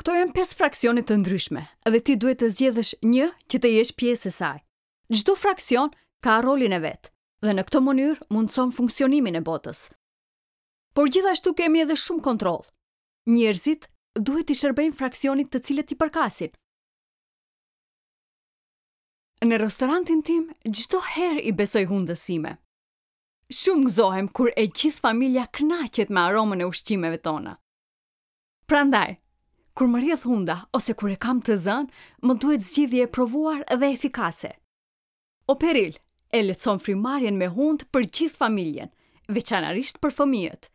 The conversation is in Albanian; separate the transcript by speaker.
Speaker 1: Këto janë 5 fraksione të ndryshme dhe ti duhet të zgjedhësh një që të jesh pjesë e saj. Çdo fraksion ka rolin e vet dhe në këtë mënyrë mundëson funksionimin e botës. Por gjithashtu kemi edhe shumë kontroll. Njerëzit duhet t'i shërbejnë fraksionit të cilët i përkasin. Në restorantin tim çdo herë i besoj hundës sime. Shumë gëzohem kur e gjithë familja kënaqet me aromën e ushqimeve tona. Prandaj, kur më rrjedh hunda ose kur e kam të zënë, më duhet zgjidhje e provuar dhe efikase. Operil e lehtëson frymëmarrjen me hundë për gjithë familjen, veçanërisht për fëmijët.